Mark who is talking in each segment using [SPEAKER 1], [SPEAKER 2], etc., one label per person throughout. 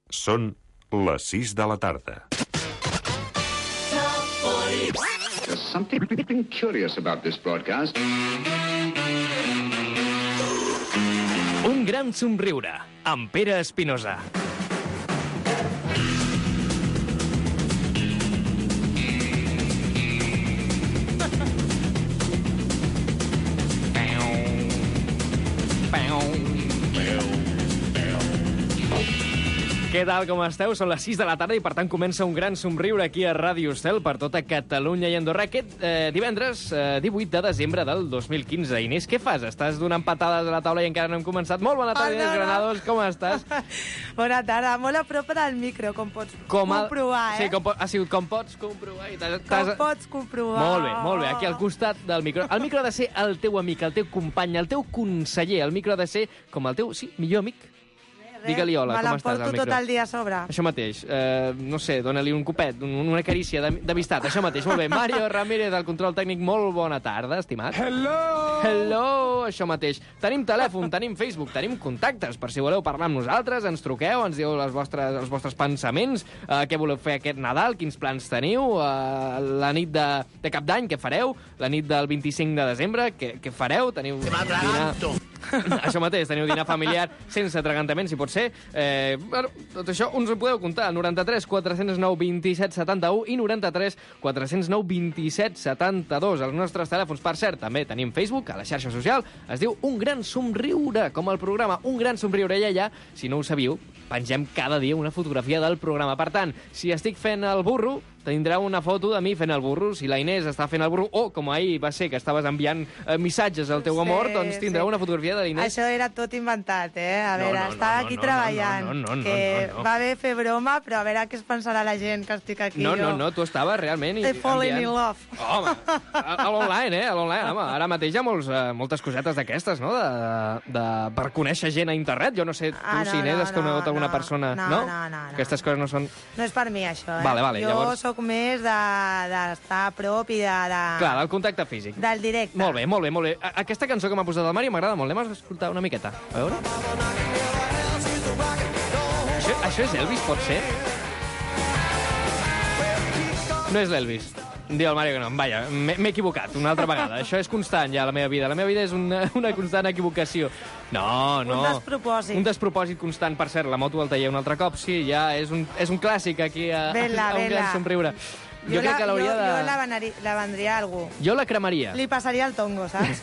[SPEAKER 1] Són les 6 de la tarda.
[SPEAKER 2] There's something curious about this broadcast.
[SPEAKER 3] Un gran somriure, amb Pere Espinosa. Què tal, com esteu? Són les 6 de la tarda i, per tant, comença un gran somriure aquí a Ràdio Estel per tota Catalunya i Andorra aquest divendres 18 de desembre del 2015. Inés, què fas? Estàs donant patades a la taula i encara no hem començat. Molt bona tarda, Inés Granados, com estàs?
[SPEAKER 4] Bona tarda, molt a prop del micro, com pots comprovar,
[SPEAKER 3] Sí, com pots comprovar.
[SPEAKER 4] Com pots comprovar.
[SPEAKER 3] Molt bé, aquí al costat del micro. El micro ha de ser el teu amic, el teu company, el teu conseller. El micro ha de ser com el teu, millor amic. Digue-li hola, com estàs, al micro?
[SPEAKER 4] Me l'emporto tot el dia a sobre.
[SPEAKER 3] Això mateix. No sé, dona-li un copet, una carícia d'amistat. Això mateix, molt bé. Mario Ramírez, del control tècnic, molt bona tarda, estimat. Hello, això mateix. Tenim telèfon, tenim Facebook, tenim contactes. Per si voleu parlar amb nosaltres, ens truqueu, ens dieu els vostres pensaments, què voleu fer aquest Nadal, quins plans teniu, la nit de Cap d'Any, què fareu, la nit del 25 de desembre, què fareu, teniu dinar... Això mateix, teniu dinar familiar sense atragantament, si pot ser. Bueno, tot això us ho podeu comptar. 93 409 27 71 i 93 409 27 72. Els nostres telèfons, per cert, també tenim Facebook, a la xarxa social. Es diu Un Gran Somriure, com el programa Un Gran Somriure. I allà, si no ho sabíeu, pengem cada dia una fotografia del programa. Per tant, si estic fent el burro, tindrà una foto de mi fent el burro. Si la Inés està fent el burro, o com ahir va ser que estaves enviant missatges al teu amor, doncs tindrà una fotografia de l'Inés.
[SPEAKER 4] Això era tot inventat, A veure, estava aquí treballant. Va bé fer broma, però a veure què es pensarà la gent que estic aquí.
[SPEAKER 3] No, tu estaves realment...
[SPEAKER 4] Falling in love.
[SPEAKER 3] Home, a l'online, a l'online. Home, ara mateix hi ha moltes cosetes d'aquestes, no?, per conèixer gent a internet. Jo no sé, tu, si Inés, has conegut alguna persona... No. Aquestes coses no són...
[SPEAKER 4] No és per mi, això,
[SPEAKER 3] Vale,
[SPEAKER 4] jo sóc més d'estar a prop i de...
[SPEAKER 3] Clar, del contacte físic.
[SPEAKER 4] Del directe.
[SPEAKER 3] Molt bé. Aquesta cançó que m'ha posat el Mario m'agrada molt. Anem a escoltar una miqueta. A veure... Això és Elvis, pot ser? No és l'Elvis. Diu el Mario que no. Vaja, m'he equivocat una altra vegada. Això és constant ja a la meva vida. La meva vida és una constant equivocació. No.
[SPEAKER 4] Un despropòsit.
[SPEAKER 3] Un despropòsit constant. Per cert, la moto al taller un altre cop. Sí, ja és un clàssic aquí a Un Gran Somriure. Jo crec que l'hauria de...
[SPEAKER 4] Jo la vendria a algú.
[SPEAKER 3] Jo la cremaria.
[SPEAKER 4] Li passaria el tongo, saps?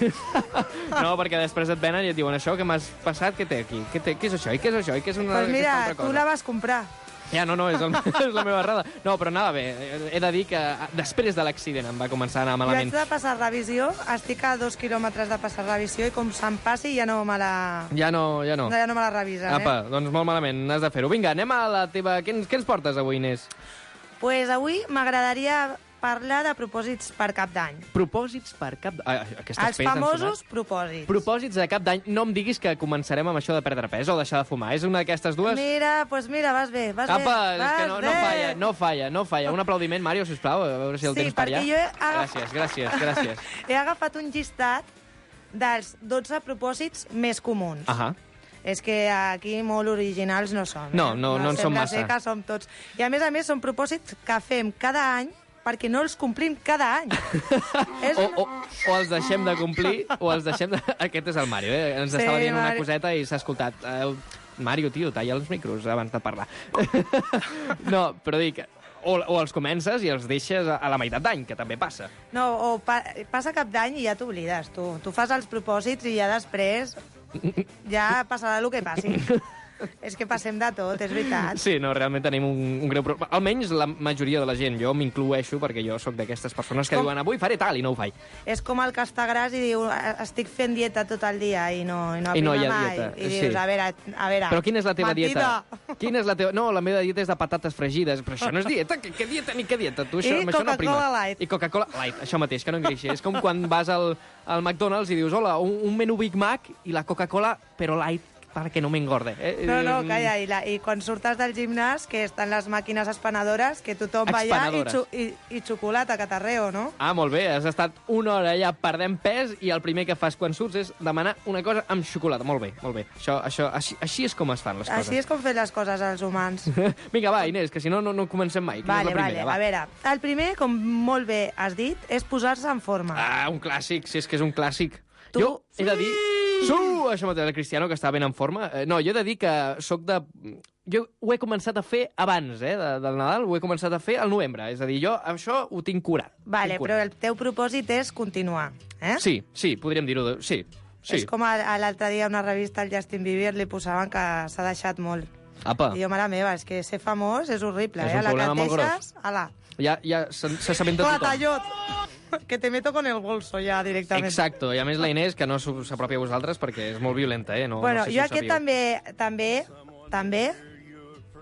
[SPEAKER 3] No, perquè després et venen i et diuen això que m'has passat, què té aquí? Què és això? I què és això? I què és una
[SPEAKER 4] pues mira,
[SPEAKER 3] altra cosa?
[SPEAKER 4] Tu la vas comprar.
[SPEAKER 3] Ja, no, és la meva errada. No, però anava bé. He de dir que després de l'accident em va començar a anar malament.
[SPEAKER 4] Jo haig de passar revisió, estic a 2 quilòmetres de passar revisió i com se'm passi ja no me la...
[SPEAKER 3] Ja no
[SPEAKER 4] me la revisen,
[SPEAKER 3] Apa, doncs molt malament, has de fer-ho. Vinga, anem a la teva... Què ens portes avui, Inés?
[SPEAKER 4] Pues avui m'agradaria parlar de propòsits per Cap d'Any.
[SPEAKER 3] Propòsits per Cap d'Any.
[SPEAKER 4] Els famosos propòsits.
[SPEAKER 3] Propòsits de Cap d'Any. No em diguis que començarem amb això de perdre pes o deixar de fumar. És una d'aquestes dues?
[SPEAKER 4] Mira, vas bé.
[SPEAKER 3] Apa, és que no falla. Un aplaudiment, Mario, sisplau, a veure si el tens per allà. Gràcies.
[SPEAKER 4] He agafat un llistat dels 12 propòsits més comuns.
[SPEAKER 3] Ahà.
[SPEAKER 4] És que aquí molt originals no som.
[SPEAKER 3] No en som massa.
[SPEAKER 4] Sembla ser que som tots. I a més són propòsits que fem cada any perquè no els complim cada any.
[SPEAKER 3] O els deixem de complir, o els deixem de... Aquest és el Mario, Ens estava dient una coseta i s'ha escoltat. Mario, tio, talla els micros abans de parlar. No, però dic... O els comences i els deixes a la meitat d'any, que també passa.
[SPEAKER 4] No, passa Cap d'any i ja t'oblides, tu. Tu fas els propòsits i ja després ja passarà el que passi. És que passem de tot, és veritat.
[SPEAKER 3] Sí, no, realment tenim un greu problema. Almenys la majoria de la gent. Jo m'incloeixo perquè jo sóc d'aquestes persones que diuen avui faré tal i no ho faig.
[SPEAKER 4] És com el que està gras i diu estic fent dieta tot el dia i no aprima mai.
[SPEAKER 3] Dieta.
[SPEAKER 4] I dius, a veure...
[SPEAKER 3] Però quina és la teva
[SPEAKER 4] mentida.
[SPEAKER 3] Dieta? Quina és la teva... No, la meva dieta és de patates fregides. Però això no és dieta. Què dieta ni què dieta? Tu, això,
[SPEAKER 4] I Coca-Cola Light.
[SPEAKER 3] I Coca-Cola Light, això mateix, que no engreixi. És com quan vas al McDonald's i dius, hola, un menú Big Mac i la Coca-Cola, però light. perquè no m'engorde.
[SPEAKER 4] No, calla, i quan surtes del gimnàs, que estan les màquines espanadores, que tothom va allà i xocolata, catarreo, no?
[SPEAKER 3] Ah, molt bé, has estat una hora allà perdent pes i el primer que fas quan surts és demanar una cosa amb xocolata. Molt bé, molt bé. Així és com es fan les coses.
[SPEAKER 4] Així és com fer les coses als humans.
[SPEAKER 3] Vinga, va, Inés, que si no, no comencem mai.
[SPEAKER 4] Vale. A veure, el primer, com molt bé has dit, és posar-se en forma.
[SPEAKER 3] Ah, un clàssic, si és que és un clàssic. Jo he de dir... Això mateix, el Cristiano, que està ben en forma. No, jo he de dir que soc de... Jo ho he començat a fer abans, del Nadal, ho he començat a fer al novembre. És a dir, jo això ho tinc curat.
[SPEAKER 4] Vale, però el teu propòsit és continuar, eh?
[SPEAKER 3] Sí, podríem dir-ho. Sí.
[SPEAKER 4] És com l'altre dia a una revista, el Justin Bieber, li posaven que s'ha deixat molt.
[SPEAKER 3] Apa.
[SPEAKER 4] I jo, mare meva, és que ser famós és horrible,
[SPEAKER 3] és un problema molt gros.
[SPEAKER 4] Ala.
[SPEAKER 3] Ja s'assabenta tothom.
[SPEAKER 4] Tallot, que te meto con el bolso ja directament.
[SPEAKER 3] Exacto, i a més la Inés, que no s'apropia a vosaltres perquè és molt violenta, No,
[SPEAKER 4] bueno,
[SPEAKER 3] no sé si
[SPEAKER 4] jo aquest també,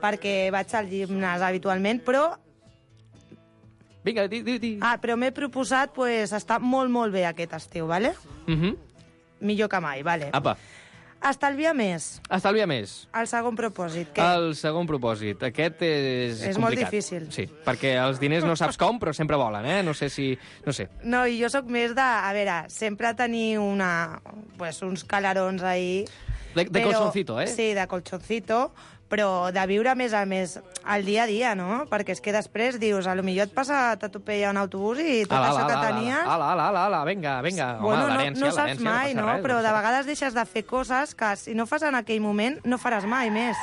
[SPEAKER 4] perquè vaig al gimnàs habitualment, però...
[SPEAKER 3] Vinga, di.
[SPEAKER 4] Però m'he proposat estar molt bé aquest estiu, vale? Millor que mai, vale.
[SPEAKER 3] Apa.
[SPEAKER 4] Estalvia més. El segon propòsit.
[SPEAKER 3] El segon propòsit. Aquest és complicat.
[SPEAKER 4] Molt difícil.
[SPEAKER 3] Sí, perquè els diners no saps com, però sempre volen, No sé si... No sé.
[SPEAKER 4] No, i jo sóc més de... A veure, sempre tenir uns calarons ahí...
[SPEAKER 3] De colchoncito,
[SPEAKER 4] Sí, de colchoncito, però de viure més a més el dia a dia, no? Perquè és que després dius, potser t'atropella un autobús i tot això que tenies...
[SPEAKER 3] Vinga.
[SPEAKER 4] Bueno,
[SPEAKER 3] Home,
[SPEAKER 4] no saps mai, no? Però de vegades deixes de fer coses que si no fas en aquell moment no faràs mai més.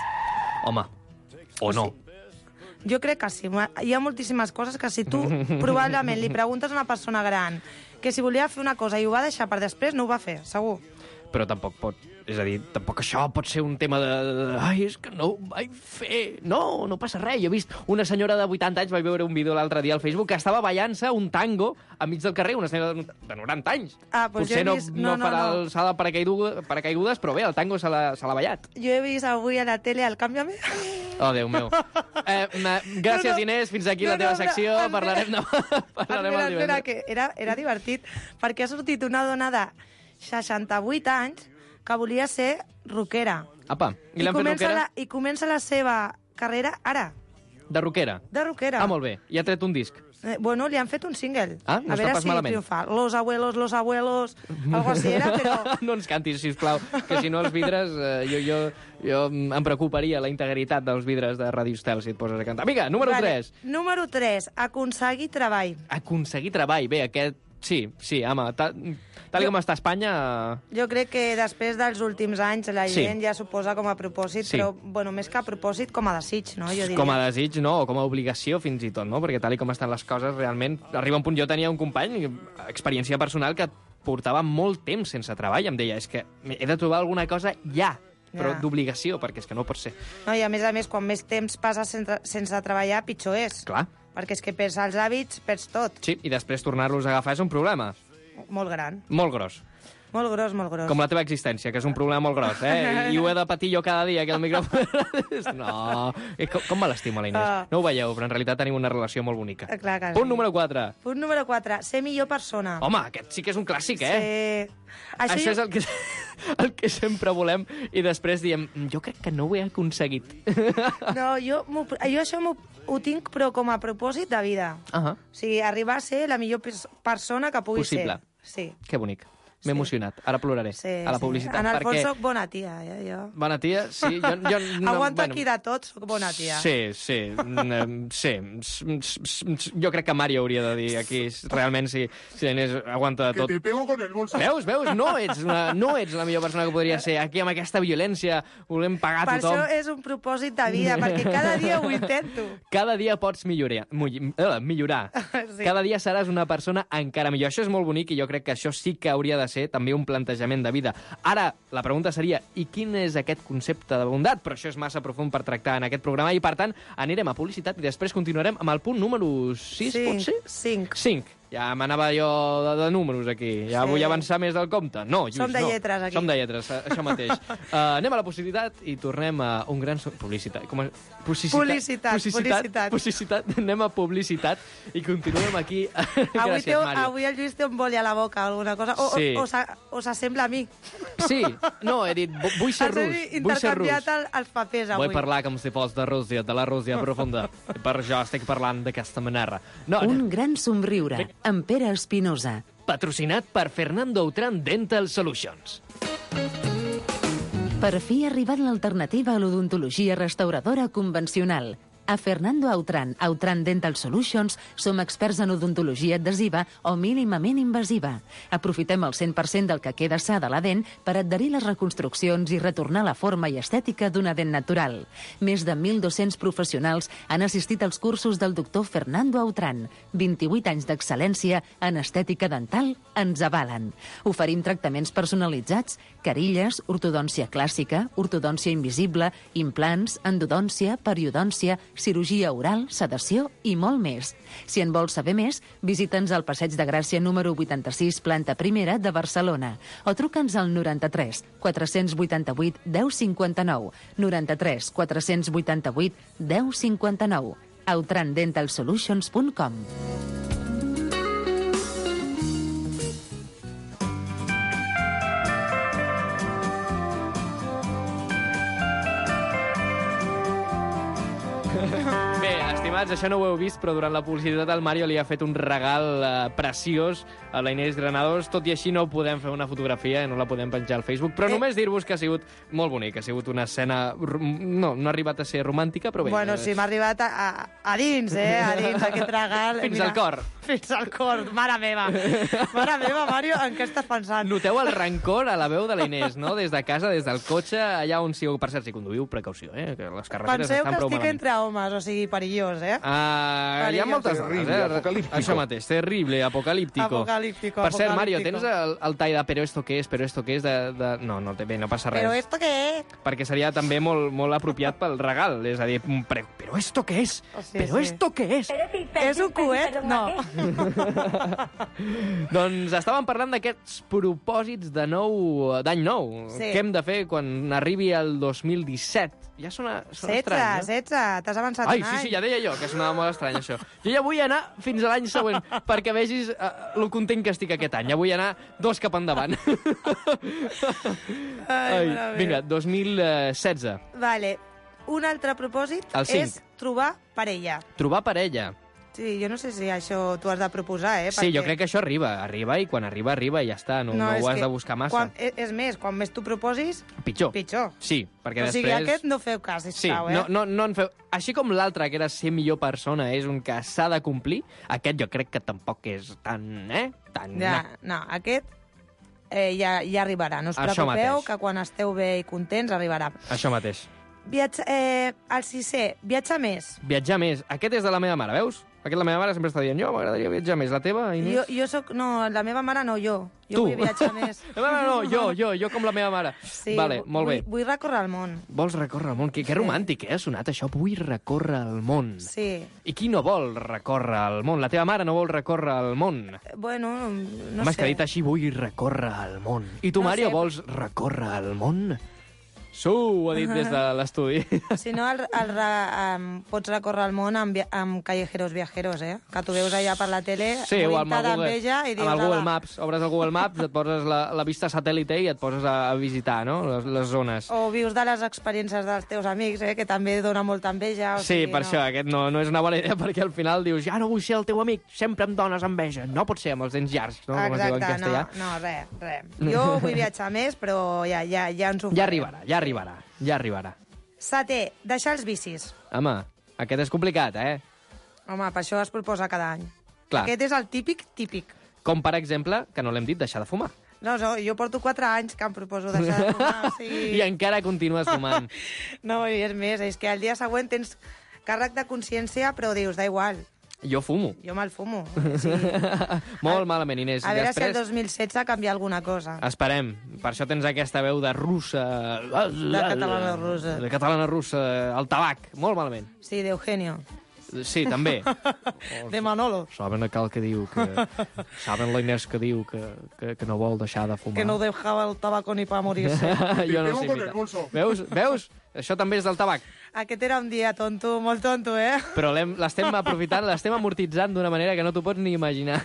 [SPEAKER 3] Home, o no.
[SPEAKER 4] Jo crec que sí. Hi ha moltíssimes coses que si tu probablement li preguntes a una persona gran que si volia fer una cosa i ho va deixar per després, no ho va fer, segur.
[SPEAKER 3] Però tampoc pot... És a dir, tampoc això pot ser un tema de... Ai, és que no ho vaig fer. No passa res. Jo he vist una senyora de 80 anys, vaig veure un vídeo l'altre dia al Facebook, que estava ballant-se un tango enmig del carrer, una senyora de 90 anys.
[SPEAKER 4] Potser
[SPEAKER 3] no farà el salt de paracaigudes, però bé, el tango se l'ha ballat.
[SPEAKER 4] Jo he vist avui a la tele el Cámbiame.
[SPEAKER 3] Oh, Déu meu. Gràcies, Inés. Fins aquí la teva secció. Parlarem el divendres.
[SPEAKER 4] Que era divertit, perquè ha sortit una dona de 68 anys que volia ser rockera.
[SPEAKER 3] Apa, i l'han fet rockera?
[SPEAKER 4] I comença la seva carrera ara.
[SPEAKER 3] De rockera?
[SPEAKER 4] De rockera.
[SPEAKER 3] Molt bé. I ha tret un disc?
[SPEAKER 4] Li han fet un single.
[SPEAKER 3] No està pas malament.
[SPEAKER 4] Triomfa. Los abuelos, algo así era, però...
[SPEAKER 3] No ens cantis, sisplau, que si no els vidres... Jo em preocuparia la integritat dels vidres de Radio Estel si et poses a cantar. Vinga, número 3.
[SPEAKER 4] Número 3, aconseguir treball.
[SPEAKER 3] Aconseguir treball. Bé, aquest... Sí, home, tal com està Espanya...
[SPEAKER 4] Jo crec que després dels últims anys la gent ja s'ho posa com a propòsit, però més que a propòsit, com a desig, no? Jo diria.
[SPEAKER 3] Com a desig, no, o com a obligació fins i tot, no? Perquè tal com estan les coses, realment, arriba un punt... Jo tenia un company, experiència personal, que portava molt temps sense treball, em deia, és que he de trobar alguna cosa ja, però d'obligació, perquè és que no pot ser.
[SPEAKER 4] No, i a més, quan més temps passes sense treballar, pitjor és.
[SPEAKER 3] Clar.
[SPEAKER 4] Perquè és que perds els hàbits, perds tot.
[SPEAKER 3] Sí, i després tornar-los a agafar és un problema.
[SPEAKER 4] Molt gran.
[SPEAKER 3] Molt gros.
[SPEAKER 4] Molt gros.
[SPEAKER 3] Com la teva existència, que és un problema molt gros, I ho he de patir jo cada dia, aquí al micròfon. No, com me l'estima la Inés. No ho veieu, però en realitat tenim una relació molt bonica.
[SPEAKER 4] Clar que
[SPEAKER 3] Punt número 4.
[SPEAKER 4] Punt número 4, ser millor persona.
[SPEAKER 3] Home, aquest sí que és un clàssic,
[SPEAKER 4] Sí.
[SPEAKER 3] Això és el que sempre volem, i després diem, jo crec que no ho he aconseguit.
[SPEAKER 4] No, jo això ho tinc, però com a propòsit de vida. O sigui, arribar a ser la millor persona que pugui ser.
[SPEAKER 3] Possible.
[SPEAKER 4] Sí.
[SPEAKER 3] Que bonic. M'he emocionat. Ara ploraré a la publicitat.
[SPEAKER 4] En el fons soc bona tia, jo.
[SPEAKER 3] Bona tia, sí.
[SPEAKER 4] Aguanto aquí de tot, soc bona tia.
[SPEAKER 3] Sí. Jo crec que Mario hauria de dir aquí, realment, si la Inés aguanta de tot.
[SPEAKER 2] Que te pego con el bolso.
[SPEAKER 3] Veus? No ets la millor persona que podria ser. Aquí, amb aquesta violència, volem pagar a tothom.
[SPEAKER 4] Per això és un propòsit de vida, perquè cada dia ho intento.
[SPEAKER 3] Cada dia pots millorar.
[SPEAKER 4] Sí.
[SPEAKER 3] Cada dia seràs una persona encara millor. Això és molt bonic i jo crec que això sí que hauria de ser també un plantejament de vida. Ara, la pregunta seria, i quin és aquest concepte de bondat? Però això és massa profund per tractar en aquest programa i, per tant, anirem a publicitat i després continuarem amb el punt número 6, potser?
[SPEAKER 4] 5.
[SPEAKER 3] Ja m'anava jo de números, aquí. Ja vull avançar més del compte. No, Lluís,
[SPEAKER 4] Som de lletres, aquí.
[SPEAKER 3] Som de lletres, això mateix. Anem a la publicitat i tornem a un gran... Publicitat. Publicitat. Anem a publicitat i continuem aquí. Gràcies, Mario.
[SPEAKER 4] Avui el Lluís té un boli a la boca, alguna cosa. O s'assembla a mi.
[SPEAKER 3] Sí, no, he dit, vull ser rus.
[SPEAKER 4] Intercanviat els papers avui.
[SPEAKER 3] Vull parlar com si fos de Rússia, de la Rússia profunda. Per això estic parlant d'aquesta manera.
[SPEAKER 5] Un gran somriure, amb Pere Espinosa.
[SPEAKER 3] Patrocinat per Fernando Autran Dental Solutions.
[SPEAKER 5] Per fi ha arribat l'alternativa a l'odontologia restauradora convencional. A Fernando Autran Dental Solutions som experts en odontologia adhesiva o mínimament invasiva. Aprofitem el 100% del que queda sa de la dent per adherir les reconstruccions i retornar la forma i estètica d'una dent natural. Més de 1.200 professionals han assistit als cursos del doctor Fernando Autran. 28 anys d'excel·lència en estètica dental ens avalen. Oferim tractaments personalitzats, carilles, ortodòncia clàssica, ortodòncia invisible, implants, endodòncia, periodòncia, cirurgia oral, sedació i molt més. Si en vols saber més, visita'ns al Passeig de Gràcia número 86, planta primera de Barcelona, o truca'ns al 93 488 1059, 93 488 1059, autrandentalsolutions.com.
[SPEAKER 3] Bé, estimats, això no ho heu vist, però durant la publicitat el Mario li ha fet un regal preciós a la Inés Granados. Tot i així no podem fer una fotografia, no la podem penjar al Facebook, però només dir-vos que ha sigut molt bonic, ha sigut una escena... No ha arribat a ser romàntica, però bé...
[SPEAKER 4] Bueno, sí, m'ha arribat a dins, a dins aquest regal.
[SPEAKER 3] Fins al cor.
[SPEAKER 4] Fins al cor, mare meva. Mare meva, Mario, en què estàs pensant?
[SPEAKER 3] Noteu el rancor a la veu de la Inés, no? Des de casa, des del cotxe, allà on sigueu. Per cert, si conduïu, precaució, que les carreteres estan prou malament.
[SPEAKER 4] Penseu que estic entre homes, o sigui, perillós,
[SPEAKER 3] Hi ha moltes coses, Això mateix, terrible, apocalíptico. Per cert, Mario, tens el tall de però esto qué es? No, bé, no passa res.
[SPEAKER 4] Però esto què és?
[SPEAKER 3] Perquè seria també molt apropiat pel regal, és a dir, però esto què és? Però esto què és?
[SPEAKER 4] És un coet? No.
[SPEAKER 3] Doncs estàvem parlant d'aquests propòsits d'any nou. Què hem de fer quan arribi el 2017? Ja sona estrany, no?
[SPEAKER 4] 16, t'has avançat un any.
[SPEAKER 3] Sí, ja deia jo, que sonava molt estrany, això. Jo ja vull anar fins a l'any següent, perquè vegis lo content que estic aquest any. Ja vull anar 2 cap endavant. Vinga, 2016.
[SPEAKER 4] Vale. Un altre propòsit és trobar parella.
[SPEAKER 3] Trobar parella.
[SPEAKER 4] Sí, jo no sé si això t'ho has de proposar,
[SPEAKER 3] Sí, jo crec que això arriba, i quan arriba i ja està, no ho has de buscar massa.
[SPEAKER 4] És més, quan més t'ho proposis...
[SPEAKER 3] Pitjor. Sí, perquè després...
[SPEAKER 4] O sigui, aquest no feu cas, sisplau,
[SPEAKER 3] Sí, no en feu... Així com l'altre, que era ser millor persona, és un que s'ha de complir, aquest jo crec que tampoc és tan...
[SPEAKER 4] No, aquest ja arribarà. No us preocupeu, que quan esteu bé i contents arribarà.
[SPEAKER 3] Això mateix.
[SPEAKER 4] El 6è, viatjar més.
[SPEAKER 3] Viatjar més. Aquest és de la meva mare, veus? Aquest la meva mare sempre està dient, jo m'agradaria viatjar més. La teva, Inés?
[SPEAKER 4] Jo soc... No, la meva mare no, jo. Jo vull viatjar més.
[SPEAKER 3] La meva no, jo com la meva mare.
[SPEAKER 4] Sí,
[SPEAKER 3] vale, molt bé.
[SPEAKER 4] Vull recórrer el món.
[SPEAKER 3] Vols recórrer el món? Que romàntic, ha sonat això? Vull recórrer el món.
[SPEAKER 4] Sí.
[SPEAKER 3] I qui no vol recórrer el món? La teva mare no vol recórrer el món.
[SPEAKER 4] Bueno, no sé.
[SPEAKER 3] M'has que dit així, vull recórrer el món. I tu, Mario, vols recórrer el món? Ho ha dit des de l'estudi.
[SPEAKER 4] Si no, pots recórrer el món amb Callejeros Viajeros, que tu veus allà per la tele,
[SPEAKER 3] sí, o amb
[SPEAKER 4] el
[SPEAKER 3] Google Maps. Obres el Google Maps, et poses la vista satèl·lite i et poses a visitar, no?, les zones.
[SPEAKER 4] O vius de les experiències dels teus amics, que també dona molta enveja.
[SPEAKER 3] Sí, per això, aquest no és una bona idea, perquè al final dius, ja no vull ser el teu amic, sempre em dones enveja. No pot ser amb els dents llargs, no?, com es diu en castellà.
[SPEAKER 4] No, res. Jo vull viatjar més, però ja ens ho farem.
[SPEAKER 3] Ja arribarà.
[SPEAKER 4] 7è, deixar els vicis.
[SPEAKER 3] Home, aquest és complicat,
[SPEAKER 4] Home, per això es proposa cada any.
[SPEAKER 3] Clar.
[SPEAKER 4] Aquest és el típic.
[SPEAKER 3] Com, per exemple, que no l'hem dit, deixar de fumar.
[SPEAKER 4] No, jo porto 4 anys que em proposo deixar de fumar. O sigui...
[SPEAKER 3] I encara continues fumant.
[SPEAKER 4] No, i és més, és que el dia següent tens càrrec de consciència, però dius, da igual.
[SPEAKER 3] Jo fumo.
[SPEAKER 4] Jo me'l fumo.
[SPEAKER 3] Sí. Molt malament, Inés.
[SPEAKER 4] A veure si el 2016 canvia alguna cosa.
[SPEAKER 3] Esperem. Per això tens aquesta veu de russa...
[SPEAKER 4] De catalana russa.
[SPEAKER 3] De catalana russa. El tabac. Molt malament.
[SPEAKER 4] Sí, d'Eugenio.
[SPEAKER 3] Sí, també.
[SPEAKER 4] De Manolo.
[SPEAKER 3] Saben aquell que diu que... Saben la Inés que diu que no vol deixar de fumar.
[SPEAKER 4] Que no dejava el tabaco ni per morir-se.
[SPEAKER 3] Jo no sé, mira. Veus? Això també és del tabac.
[SPEAKER 4] Aquest era un dia tonto, molt tonto,
[SPEAKER 3] Però l'estem aprofitant, l'estem amortitzant d'una manera que no t'ho pots ni imaginar.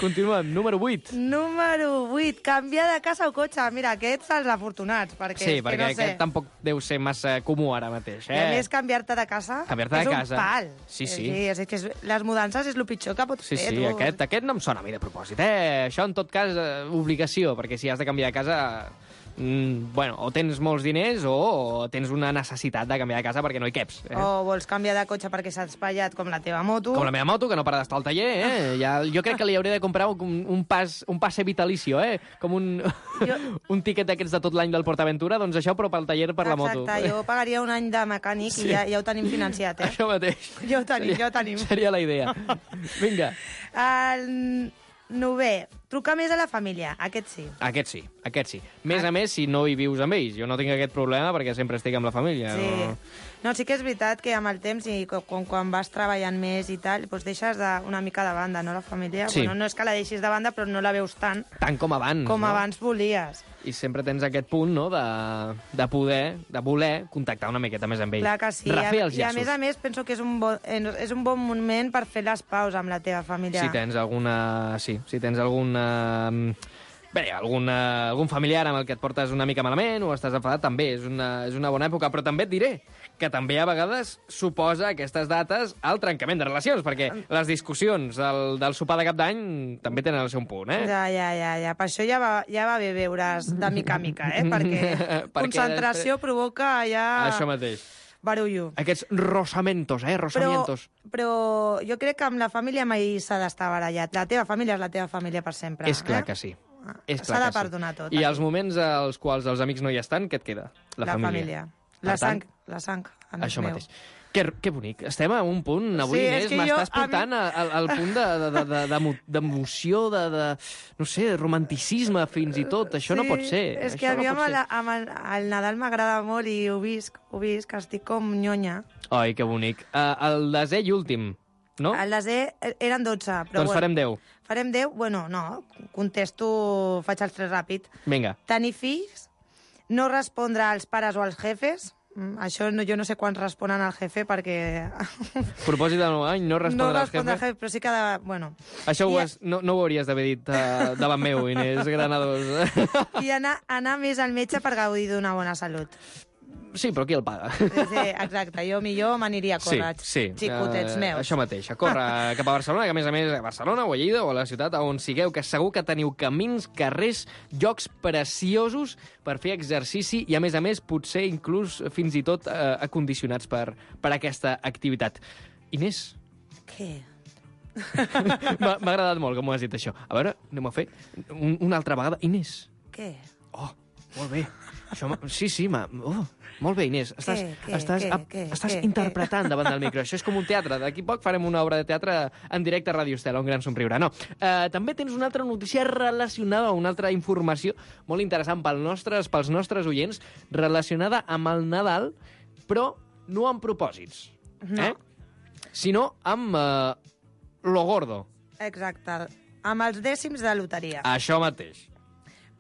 [SPEAKER 3] Continuem. Número 8.
[SPEAKER 4] Número 8. Canviar de casa o cotxe. Mira, aquests els afortunats, perquè
[SPEAKER 3] Sí,
[SPEAKER 4] és
[SPEAKER 3] perquè
[SPEAKER 4] que no sé.
[SPEAKER 3] aquest tampoc deu ser massa comú ara mateix.
[SPEAKER 4] I a més, canviar-te de casa
[SPEAKER 3] Canviar-te de casa.
[SPEAKER 4] és un pal.
[SPEAKER 3] Sí.
[SPEAKER 4] És que les mudances és el pitjor que pots
[SPEAKER 3] Sí,
[SPEAKER 4] fer,
[SPEAKER 3] sí,
[SPEAKER 4] tu.
[SPEAKER 3] aquest no em sona a mi de propòsit, Això, en tot cas, obligació, perquè si has de canviar de casa... bueno, o tens molts diners o tens una necessitat de canviar de casa perquè no hi caps.
[SPEAKER 4] O vols canviar de cotxe perquè s'ha espatllat com la teva moto.
[SPEAKER 3] Com la meva moto, que no para d'estar al taller, jo crec que li hauré de comprar un passe vitalicio, com un tiquet d'aquests de tot l'any del PortAventura, doncs això, però pel taller per la moto.
[SPEAKER 4] Exacte, jo pagaria un any de mecànic i ja ho tenim financiat,
[SPEAKER 3] Això mateix.
[SPEAKER 4] Ja ho tenim.
[SPEAKER 3] Seria la idea. Vinga.
[SPEAKER 4] El 9è, trucar més a la família. Aquest sí.
[SPEAKER 3] Aquest sí. Més a més, si no hi vius amb ells. Jo no tinc aquest problema perquè sempre estic amb la família.
[SPEAKER 4] Sí. No, sí que és veritat que amb el temps i quan vas treballant més i tal, doncs deixes una mica de banda, no, la família?
[SPEAKER 3] Sí.
[SPEAKER 4] Bueno, no és que la deixis de banda, però no la veus tant
[SPEAKER 3] com abans.
[SPEAKER 4] com abans volies.
[SPEAKER 3] I sempre tens aquest punt, no?, de voler contactar una miqueta més amb ells.
[SPEAKER 4] Clar que sí.
[SPEAKER 3] Refer els
[SPEAKER 4] I a
[SPEAKER 3] llaços.
[SPEAKER 4] més penso que és un bon moment per fer les paus amb la teva família.
[SPEAKER 3] Si tens alguna... Sí, si tens alguna... Bé, algun familiar amb el que et portes una mica malament o estàs enfadat, també és una bona època. Però també et diré que també a vegades suposa aquestes dates el trencament de relacions, perquè les discussions del sopar de cap d'any també tenen el seu punt,
[SPEAKER 4] Ja. Per això ja va bé veure's de mica a mica, perquè concentració provoca ja...
[SPEAKER 3] Això mateix.
[SPEAKER 4] Barullo.
[SPEAKER 3] Aquests rosamentos, rosamientos.
[SPEAKER 4] Però jo crec que amb la família mai s'ha d'estar barallat. La teva família és la teva família per sempre.
[SPEAKER 3] És clar que sí.
[SPEAKER 4] S'ha de perdonar tot.
[SPEAKER 3] I els moments als quals els amics no hi estan, què et queda? La família.
[SPEAKER 4] La sang.
[SPEAKER 3] Això mateix. Que bonic. Estem a un punt avui, Inés, m'estàs portant al punt d'emoció, no sé, romanticisme fins i tot. Això no pot ser.
[SPEAKER 4] És que a mi amb el Nadal m'agrada molt i ho visc, que estic com nyonya.
[SPEAKER 3] Ai, que bonic. El desè i últim, no?
[SPEAKER 4] El desè eren 12. Però
[SPEAKER 3] doncs farem 10.
[SPEAKER 4] Farem 10? Bueno, no, contesto, faig els 3 ràpid.
[SPEAKER 3] Vinga.
[SPEAKER 4] Tenir fills, no respondre als pares o als jefes. Això jo no sé quants responen al jefe perquè...
[SPEAKER 3] Propòsit de nou any, no respondre als jefes.
[SPEAKER 4] Però sí que... Bueno.
[SPEAKER 3] Això no ho hauries d'haver dit davant meu, Inés Granados.
[SPEAKER 4] I anar més al metge per gaudir d'una bona salut.
[SPEAKER 3] Sí, però qui el paga?
[SPEAKER 4] Sí, exacte. Jo millor m'aniria a córrer, xicotets meus.
[SPEAKER 3] Això mateix, a córrer cap a Barcelona, que a més a Barcelona o a Lleida o a la ciutat on sigueu, que segur que teniu camins, carrers, llocs preciosos per fer exercici i, a més, potser inclús fins i tot acondicionats per aquesta activitat. Inés?
[SPEAKER 4] Què?
[SPEAKER 3] M'ha agradat molt com ho has dit, això. A veure, anem a fer una altra vegada. Inés?
[SPEAKER 4] Què?
[SPEAKER 3] Oh, molt bé. Això, sí, molt bé, Inés. Estàs interpretant davant del micro. Això és com un teatre. D'aquí poc farem una obra de teatre en directe a Ràdio Estela, un gran somriure. No. També tens una altra notícia relacionada, una altra informació molt interessant pels nostres oients, relacionada amb el Nadal, però no amb propòsits.
[SPEAKER 4] No.
[SPEAKER 3] Sinó amb lo gordo.
[SPEAKER 4] Exacte. Amb els dècims de loteria.
[SPEAKER 3] Això mateix.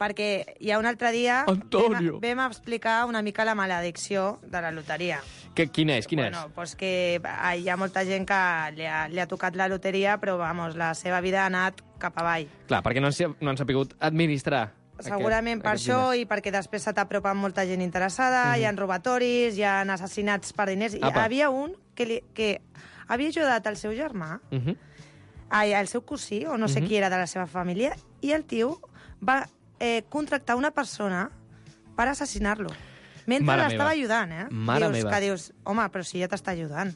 [SPEAKER 4] Perquè ja un altre dia vam explicar una mica la maledicció de la loteria.
[SPEAKER 3] Quina és?
[SPEAKER 4] Bueno, pues que hi ha molta gent que li ha tocat la loteria, però vamos, la seva vida ha anat cap avall.
[SPEAKER 3] Clar, perquè no han sapigut administrar.
[SPEAKER 4] Segurament per això i perquè després se t'apropa molta gent interessada, hi ha robatoris, hi ha assassinats per diners. Hi havia un que havia ajudat el seu germà, el seu cosí, o no sé qui era de la seva família, i el tio va contractar una persona per assassinar-lo. Mentre l'estava ajudant,
[SPEAKER 3] Mare meva.
[SPEAKER 4] Que dius, home, però si ja t'està ajudant.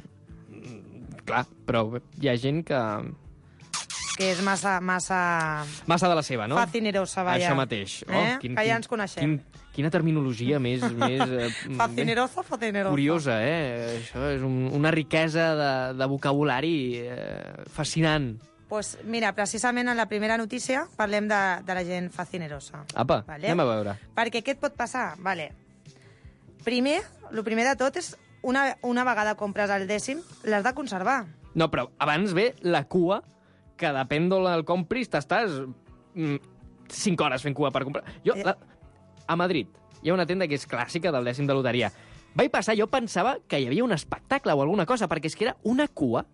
[SPEAKER 3] Clar, però hi ha gent que
[SPEAKER 4] és massa
[SPEAKER 3] de la seva, no?
[SPEAKER 4] Facinerosa, vaja.
[SPEAKER 3] Això mateix.
[SPEAKER 4] Que ja ens coneixem.
[SPEAKER 3] Quina terminologia més
[SPEAKER 4] Facinerosa.
[SPEAKER 3] Curiosa, Això és una riquesa de vocabulari fascinant.
[SPEAKER 4] Pues mira, precisament en la primera notícia parlem de la gent facinerosa.
[SPEAKER 3] Apa, anem a veure.
[SPEAKER 4] Perquè què et pot passar? Vale. El primer de tot és una vegada compres el dècim, l'has de conservar.
[SPEAKER 3] No, però abans ve la cua, que depèn d'on el compris, t'estàs 5 hores fent cua per comprar. A Madrid hi ha una tenda que és clàssica del dècim de loteria. Vaig passar, jo pensava que hi havia un espectacle o alguna cosa, perquè és que era una cua,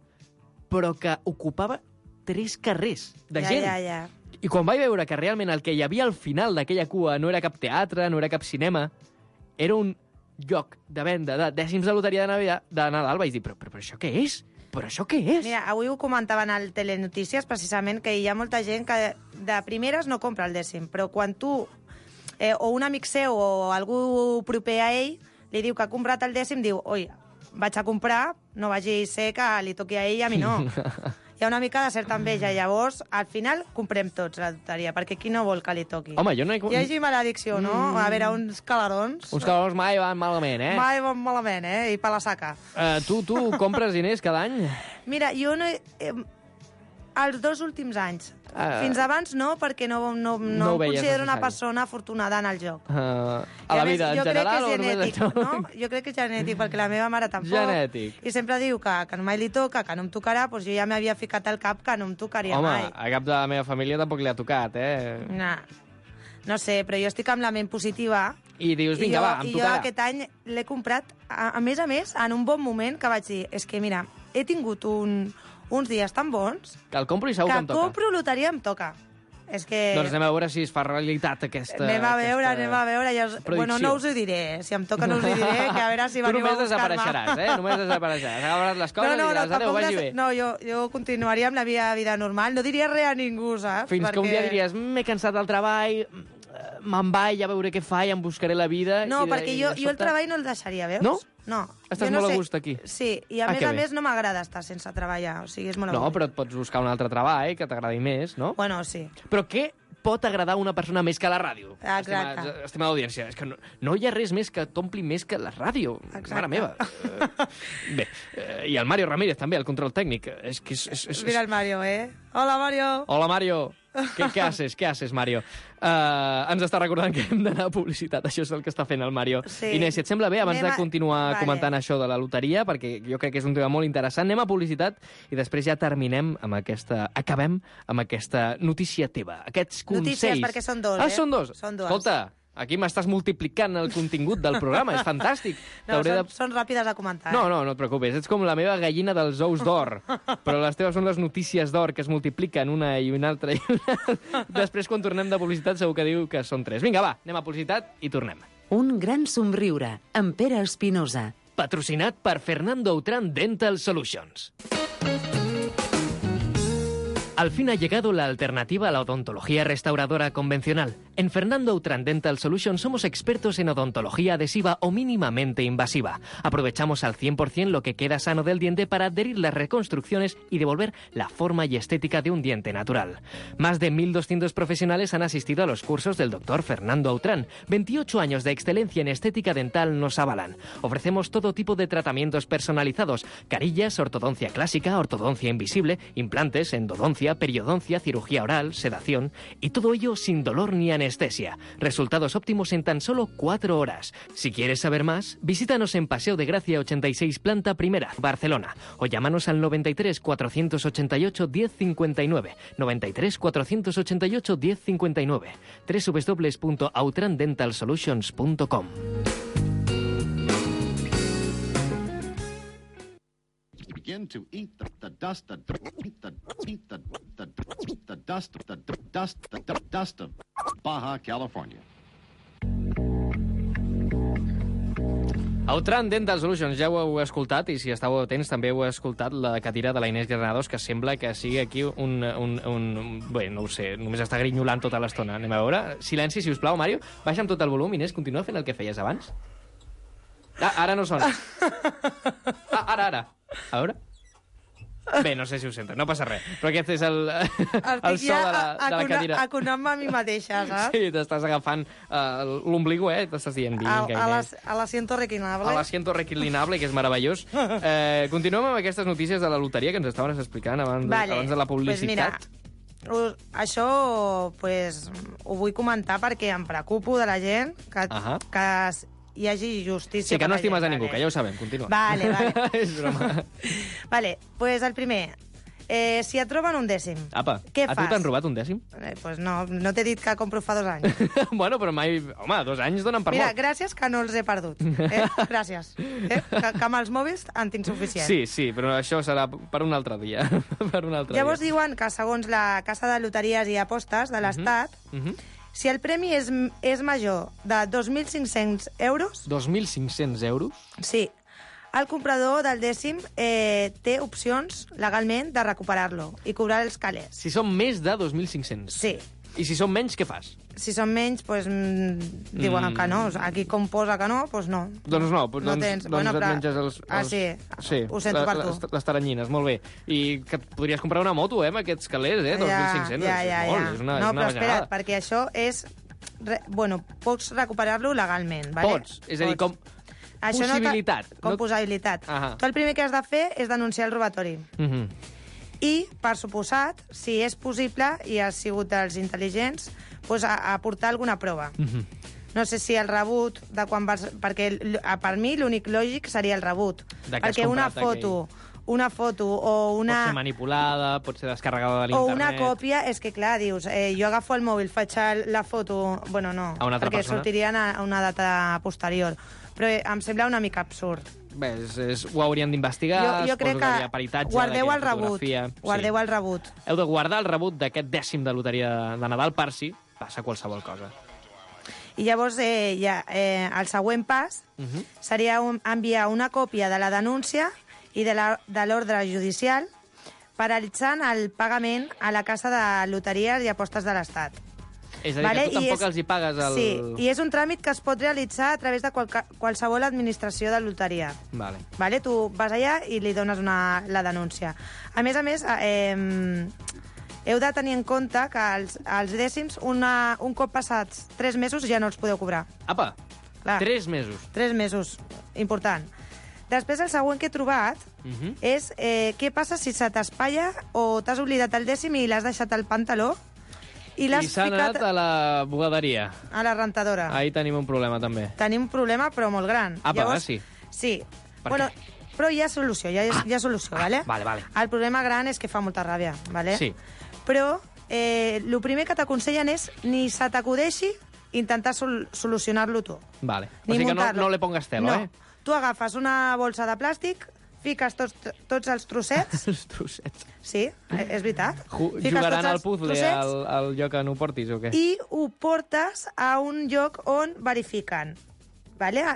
[SPEAKER 3] però que ocupava 3 carrers de gent.
[SPEAKER 4] Ja.
[SPEAKER 3] I quan vaig veure que realment el que hi havia al final d'aquella cua no era cap teatre, no era cap cinema, era un lloc de venda de dècims de loteria de Nadal, vaig dir, però això què és? Però això què és?
[SPEAKER 4] Mira, avui ho comentaven al Telenotícies, precisament, que hi ha molta gent que de primeres no compra el dècim, però quan tu, o un amic seu o algú proper a ell, li diu que ha comprat el dècim, diu, oi, vaig a comprar, no vagi a ser que li toqui a ell i a mi no. Hi ha una mica de certa enveja, llavors, al final, comprem tots la loteria, perquè qui no vol que li toqui?
[SPEAKER 3] Home, jo no he...
[SPEAKER 4] Hi hagi maledicció, no? A veure, uns calarons...
[SPEAKER 3] Uns calarons mai van malament, eh?
[SPEAKER 4] Mai van malament, eh? I per la saca.
[SPEAKER 3] Tu compres diners cada any?
[SPEAKER 4] Mira, jo no... Els 2 últims anys. Fins abans no, perquè no em considero una persona afortunada en el joc.
[SPEAKER 3] A la vida en general o només això?
[SPEAKER 4] No? Jo crec que és genètic, perquè la meva mare tampoc.
[SPEAKER 3] Genètic.
[SPEAKER 4] I sempre diu que mai li toca, que no em tocarà, doncs jo ja m'havia ficat al cap que no em tocaria mai.
[SPEAKER 3] Home, a cap de la meva família tampoc li ha tocat, eh?
[SPEAKER 4] No sé, però jo estic amb la ment positiva.
[SPEAKER 3] I dius, vinga, va, em tocarà.
[SPEAKER 4] I jo aquest any l'he comprat, a més, en un bon moment, que vaig dir, és que mira, he tingut uns dies tan bons...
[SPEAKER 3] Que el compro i segur que em toca.
[SPEAKER 4] Que compro loteria em toca. És que...
[SPEAKER 3] Doncs anem a veure si es fa realitat aquesta...
[SPEAKER 4] Anem a veure. Bueno, no us ho diré. Si em toca no us ho diré, que a veure si veniu a buscar-me.
[SPEAKER 3] Tu només desapareixeràs, Només desapareixeràs. Agafaràs les coses i diràs, adéu, vagi bé.
[SPEAKER 4] No, jo continuaria amb la meva vida normal. No diria res a ningú, saps?
[SPEAKER 3] Fins que un dia diries, m'he cansat del treball, me'n vaig a veure què fa i em buscaré la vida...
[SPEAKER 4] No, perquè jo el treball no el deixaria, veus?
[SPEAKER 3] No?
[SPEAKER 4] No.
[SPEAKER 3] Estàs molt a gust aquí.
[SPEAKER 4] Sí, i a més no m'agrada estar sense treballar, o sigui, és molt
[SPEAKER 3] No, però et pots buscar un altre treball que t'agradi més, no?
[SPEAKER 4] Bueno, sí.
[SPEAKER 3] Però què pot agradar a una persona més que la ràdio?
[SPEAKER 4] Exacte.
[SPEAKER 3] Estimada audiència, és que no hi ha res més que t'ompli més que la ràdio.
[SPEAKER 4] Exacte.
[SPEAKER 3] Mare meva. Bé, i el Mario Ramírez també, el control tècnic. És que
[SPEAKER 4] Mira el Mario, Hola, Mario.
[SPEAKER 3] Hola, Mario. ¿Qué haces, Mario? Ens està recordant que hem d'anar a publicitat. Això és el que està fent el Mario. Sí. Inés, si et sembla bé, abans de continuar comentant això de la loteria, perquè jo crec que és un tema molt interessant, anem a publicitat i després ja acabem amb aquesta notícia teva. Aquests consells...
[SPEAKER 4] Notícies, perquè són 2,
[SPEAKER 3] Són 2?
[SPEAKER 4] Són 2.
[SPEAKER 3] Escolta, aquí m'estàs multiplicant el contingut del programa, és fantàstic.
[SPEAKER 4] No, són ràpides de comentar.
[SPEAKER 3] No et preocupis, ets com la meva gallina dels ous d'or, però les teves són les notícies d'or que es multipliquen una i una altra. Després, quan tornem de publicitat, segur que diu que són 3. Vinga, va, anem a publicitat i tornem.
[SPEAKER 5] Un gran somriure, amb Pere Espinosa.
[SPEAKER 3] Patrocinat per Fernando Autran Dental Solutions. Al fin ha llegado la alternativa a la odontología restauradora convencional. En Fernando Autran Dental Solutions somos expertos en odontología adhesiva o mínimamente invasiva. Aprovechamos al 100% lo que queda sano del diente para adherir las reconstrucciones y devolver la forma y estética de un diente natural. Más de 1.200 profesionales han asistido a los cursos del doctor Fernando Autran. 28 años de excelencia en estética dental nos avalan. Ofrecemos todo tipo de tratamientos personalizados: carillas, ortodoncia clásica, ortodoncia invisible, implantes, endodoncia, periodoncia, cirugía oral, sedación, y todo ello sin dolor ni anestesia. Resultados óptimos en tan solo 4 horas. Si quieres saber más, visítanos en Paseo de Gracia 86, planta primera, Barcelona, o llámanos al 93 488 1059, 93 488 1059, www.autrandentalsolutions.com.
[SPEAKER 6] Begin to eat the dust of Baja California.
[SPEAKER 3] Autran Dental Solutions, ja ho heu escoltat, i si estàveu atents també heu escoltat la cadira de la Inés Granados, que sembla que sigui aquí bé, no ho sé, només està grinyolant tota l'estona. Anem a veure. Silenci, si us plau, Mario. Baixa amb tot el volum. Inés, continua fent el que feies abans. Ara no sona. Ara. A veure. Bé, no sé si ho sento, no passa res. Però aquest és el so de la cadira.
[SPEAKER 4] Aconant-me a mi mateixa, saps?
[SPEAKER 3] Sí, t'estàs agafant l'ombligo, t'estàs dient...
[SPEAKER 4] A l'asiento reclinable.
[SPEAKER 3] A l'asiento reclinable, que és meravellós. Continuem amb aquestes notícies de la loteria que ens estaves explicant abans de la publicitat.
[SPEAKER 4] Pues mira, això ho vull comentar perquè em preocupo de la gent que hi hagi justícia.
[SPEAKER 3] Sí, que no
[SPEAKER 4] per la
[SPEAKER 3] estimes
[SPEAKER 4] gent,
[SPEAKER 3] a ningú,
[SPEAKER 4] vale.
[SPEAKER 3] que ja ho sabem, continua.
[SPEAKER 4] Vale.
[SPEAKER 3] És broma.
[SPEAKER 4] Vale, pues el primer. Si et roben un dècim,
[SPEAKER 3] Apa,
[SPEAKER 4] què
[SPEAKER 3] a
[SPEAKER 4] fas?
[SPEAKER 3] tu t'han robat un dècim?
[SPEAKER 4] Pues no t'he dit que compro fa 2 anys.
[SPEAKER 3] Bueno, però mai... Home, 2 anys donen per
[SPEAKER 4] Mira,
[SPEAKER 3] molt.
[SPEAKER 4] gràcies que no els he perdut. Gràcies. Que amb els mòbils en tinc suficient.
[SPEAKER 3] Sí, però això serà per un altre dia.
[SPEAKER 4] Llavors diuen que, segons la Casa de Loteries i Apostes de l'Estat, si el premi és major de 2.500 euros...
[SPEAKER 3] 2.500 euros?
[SPEAKER 4] Sí. El comprador del dècim té opcions, legalment, de recuperar-lo i cobrar els calés.
[SPEAKER 3] Si són més de 2.500?
[SPEAKER 4] Sí.
[SPEAKER 3] I si són menys, què fas?
[SPEAKER 4] Si són menys, doncs diuen que no. Aquí com posa que no, doncs no.
[SPEAKER 3] Doncs no,
[SPEAKER 4] no tens.
[SPEAKER 3] doncs et menges els...
[SPEAKER 4] Sí, ho sento per tu.
[SPEAKER 3] Les taranyines, molt bé. I que et podries comprar una moto, amb aquests calés, 2.500.
[SPEAKER 4] Ja.
[SPEAKER 3] És una
[SPEAKER 4] no, però
[SPEAKER 3] vegada.
[SPEAKER 4] espera't, perquè això és... Bueno, pots recuperar-lo legalment, vale?
[SPEAKER 3] Pots, és a dir, com...
[SPEAKER 4] Això
[SPEAKER 3] possibilitat.
[SPEAKER 4] Com possibilitat. Tu el primer que has de fer és denunciar el robatori. I, per suposat, si és possible i has sigut dels intel·ligents, doncs aportar alguna prova. No sé si el rebut de quan vas... Perquè per mi l'únic lògic seria el rebut. Perquè una foto o una...
[SPEAKER 3] Pot ser manipulada, pot ser descarregada de l'internet...
[SPEAKER 4] O una còpia, és que clar, dius, jo agafo el mòbil, faig la foto... Bueno, no,
[SPEAKER 3] a una altra
[SPEAKER 4] perquè
[SPEAKER 3] persona.
[SPEAKER 4] sortirien a una data posterior. Però em sembla una mica absurd.
[SPEAKER 3] Bé, ho haurien d'investigar,
[SPEAKER 4] jo crec que
[SPEAKER 3] peritatge,
[SPEAKER 4] guardeu el rebut. Guardeu el rebut.
[SPEAKER 3] Heu de guardar el rebut d'aquest dècim de loteria de Nadal per si passa qualsevol cosa.
[SPEAKER 4] I llavors el següent pas seria enviar una còpia de la denúncia i de l'ordre judicial paralitzant el pagament a la Casa de Loteries i Apostes de l'Estat.
[SPEAKER 3] És a dir, que tu tampoc els hi pagues el...
[SPEAKER 4] Sí, i és un tràmit que es pot realitzar a través de qualsevol administració de loteria.
[SPEAKER 3] Vale.
[SPEAKER 4] Tu vas allà i li dones la denúncia. A més, heu de tenir en compte que els dècims, un cop passats 3 mesos, ja no els podeu cobrar.
[SPEAKER 3] Apa,
[SPEAKER 4] Clar.
[SPEAKER 3] 3 mesos.
[SPEAKER 4] 3 mesos, important. Després, el següent que he trobat és què passa si se t'espatlla o t'has oblidat el dècim i l'has deixat al pantaló i s'ha
[SPEAKER 3] anat a la bugaderia.
[SPEAKER 4] A la rentadora.
[SPEAKER 3] Ahí tenim un problema, també.
[SPEAKER 4] Tenim un problema, però molt gran.
[SPEAKER 3] Llavors, sí.
[SPEAKER 4] Sí. Bueno, però hi ha solució, hi ha solució, vale?
[SPEAKER 3] Vale.
[SPEAKER 4] El problema gran és que fa molta ràbia, vale?
[SPEAKER 3] Sí.
[SPEAKER 4] Però el primer que t'aconsellen és ni se t'acudeixi intentar solucionar-lo tu.
[SPEAKER 3] Vale. O sigui que no le pongas telo,
[SPEAKER 4] no. Tu agafes una bolsa de plàstic, fiques tots els trossets...
[SPEAKER 3] Els trossets.
[SPEAKER 4] Sí, és veritat.
[SPEAKER 3] Jugaran al puzzle al lloc on ho portis, o què?
[SPEAKER 4] I ho portes a un lloc on verifiquen. Vale?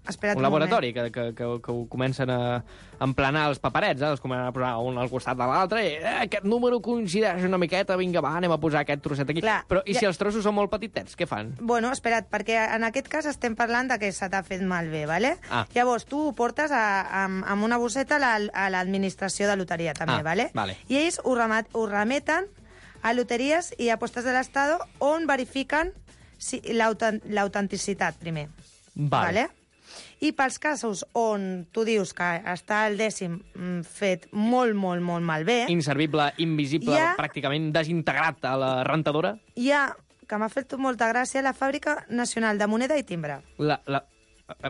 [SPEAKER 4] Espera't
[SPEAKER 3] un laboratori que ho comencen a emplenar els paperets, els comencen a posar un al costat de l'altre i aquest número coincideix una miqueta, vinga, va, anem a posar aquest trosset aquí.
[SPEAKER 4] Clar,
[SPEAKER 3] però i si els trossos són molt petitets, què fan?
[SPEAKER 4] Bueno, espera't, perquè en aquest cas estem parlant de que se t'ha fet malbé, vale? Llavors, tu ho portes amb una bosseta a l'administració de loteria, també, vale? I ells ho remeten a Loteries i Apostes de l'Estat on verifiquen l'autenticitat, primer. Vale? I pels casos on tu dius que està el dècim fet molt malbé...
[SPEAKER 3] Inservible, invisible, pràcticament desintegrat a la rentadora...
[SPEAKER 4] Hi ha, que m'ha fet molta gràcia, la Fàbrica Nacional de Moneda i Timbre.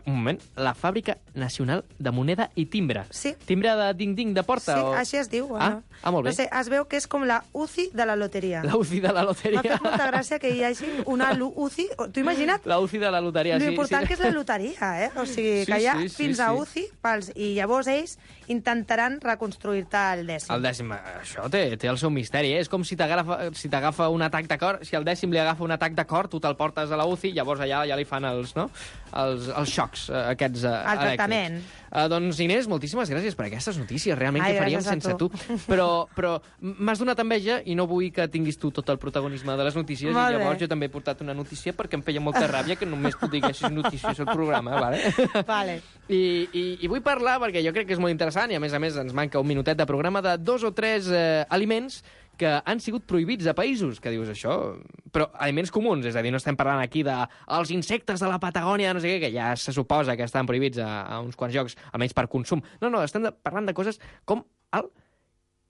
[SPEAKER 3] Un moment, la Fàbrica Nacional de Moneda i Timbre.
[SPEAKER 4] Sí.
[SPEAKER 3] Timbre de ding-ding de porta?
[SPEAKER 4] Sí, així es diu.
[SPEAKER 3] Molt bé.
[SPEAKER 4] No sé, es veu que és com la UCI de la loteria.
[SPEAKER 3] La UCI de la loteria.
[SPEAKER 4] M'ha fet molta gràcia que hi hagi una UCI... T'ho imagina't?
[SPEAKER 3] La UCI de la loteria, sí.
[SPEAKER 4] L'important que és la loteria, O sigui, que hi ha fins a UCI i llavors ells intentaran reconstruir-te el dècim.
[SPEAKER 3] El dècim, això té el seu misteri, És com si t'agafa un atac de cor, si al dècim li agafa un atac de cor, tu te'l portes a la UCI, llavors allà ja li fan els xocs aquests elèctrics.
[SPEAKER 4] El tractament.
[SPEAKER 3] Doncs, Inés, moltíssimes gràcies per aquestes notícies. Realment, què faríem sense tu? Però m'has donat enveja i no vull que tinguis tu tot el protagonisme de les notícies. I llavors jo també he portat una notícia perquè em feia molta ràbia que només tu diguessis notícies al programa, vale?
[SPEAKER 4] Vale.
[SPEAKER 3] I vull parlar, perquè jo crec que és molt interessant, i a més ens manca un minutet de programa, de 2 o 3 aliments que han sigut prohibits a països, que dius això... Però aliments comuns, és a dir, no estem parlant aquí dels insectes de la Patagònia, no sé què, que ja se suposa que estan prohibits a uns quants llocs, almenys per consum. No, estem parlant de coses com el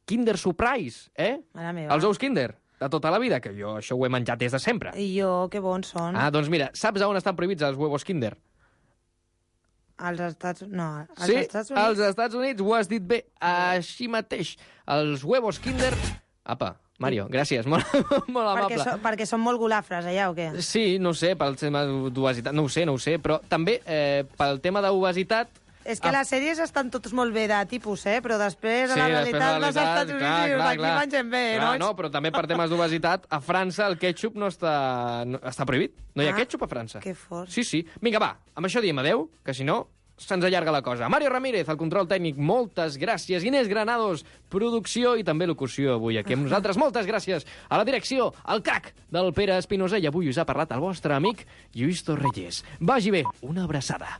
[SPEAKER 3] Kinder Surprise,
[SPEAKER 4] Mare meva.
[SPEAKER 3] Els ous Kinder, de tota la vida, que jo això ho he menjat des de sempre.
[SPEAKER 4] I jo, que bons són.
[SPEAKER 3] Doncs mira, saps on estan prohibits els huevos Kinder?
[SPEAKER 4] Als Estats... No, als
[SPEAKER 3] Sí,
[SPEAKER 4] Estats Units...
[SPEAKER 3] als Estats Units ho has dit bé, així mateix. Els huevos Kinder... Apa, Mario, gràcies, molt amable.
[SPEAKER 4] Perquè són molt golafres, allà, o què?
[SPEAKER 3] Sí, no ho sé, pel tema d'obesitat, no ho sé, però també pel tema d'obesitat...
[SPEAKER 4] És que les sèries estan totes molt bé de tipus, però després, a la realitat, dels Estats Units, aquí mengem bé, no?
[SPEAKER 3] No, però també per temes d'obesitat, a França el ketchup no està prohibit. No hi ha ketchup a França.
[SPEAKER 4] Que fort.
[SPEAKER 3] Sí. Vinga, va, amb això diem adeu, que si no se'ns allarga la cosa. Mario Ramírez, el control tècnic, moltes gràcies. Inés Granados, producció i també locució avui aquí amb nosaltres. Moltes gràcies. A la direcció, el crac del Pere Espinosa, i avui us ha parlat el vostre amic Lluís Torrelles. Vagi bé, una abraçada.